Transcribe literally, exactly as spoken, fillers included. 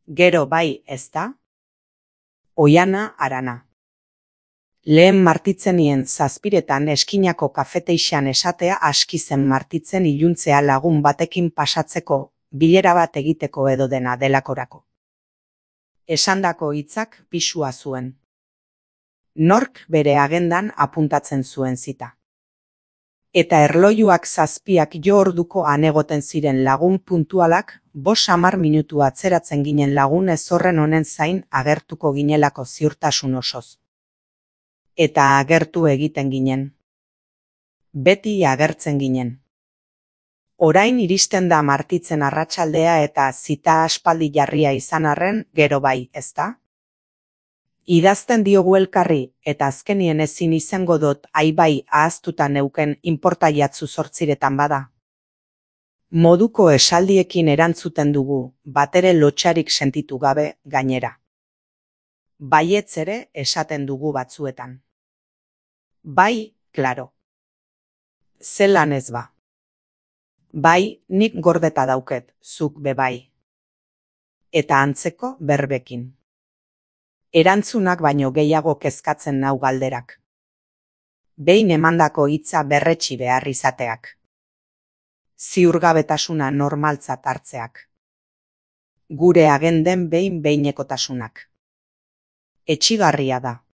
Gero bai, ezta? Oiana Arana. Lehen martitzenien zazpiretan eskinako kafeteixan esatea aski zen martitzen iluntzea lagun batekin pasatzeko, bilera bat egiteko edo dena delakorako. Esandako hitzak pisua zuen. Nork bere agendan apuntatzen zuen zita. Eta erlojuak zazpiak jo orduko anegoten ziren lagun puntualak, bos hamar minutu atzeratzen ginen lagun ez horren honen zain agertuko ginelako ziurtasun osoz. Eta agertu egiten ginen. Beti agertzen ginen. Orain iristen da martitzen arratsaldea eta zita aspaldi jarria izan arren, gero bai, ezta? Idazten diogu elkarri, eta azkenien ezin izango dut aibai ahaztuta neuken inporta jatzu zortziretan bada. Moduko esaldiekin erantzuten dugu, batere lotxarik sentitu gabe gainera. Baietz ere esaten dugu batzuetan. Bai, klaro. Zelan ez ba. Bai, nik gordeta dauket, zuk be bai. Eta antzeko berbekin. Erantzunak baino gehiago kezkatzen nau galderak. Behin emandako hitza berretsi behar izateak. Ziurgabetasuna normaltzat hartzeak. Gure agenden behin behinekotasunak. Etsigarria da.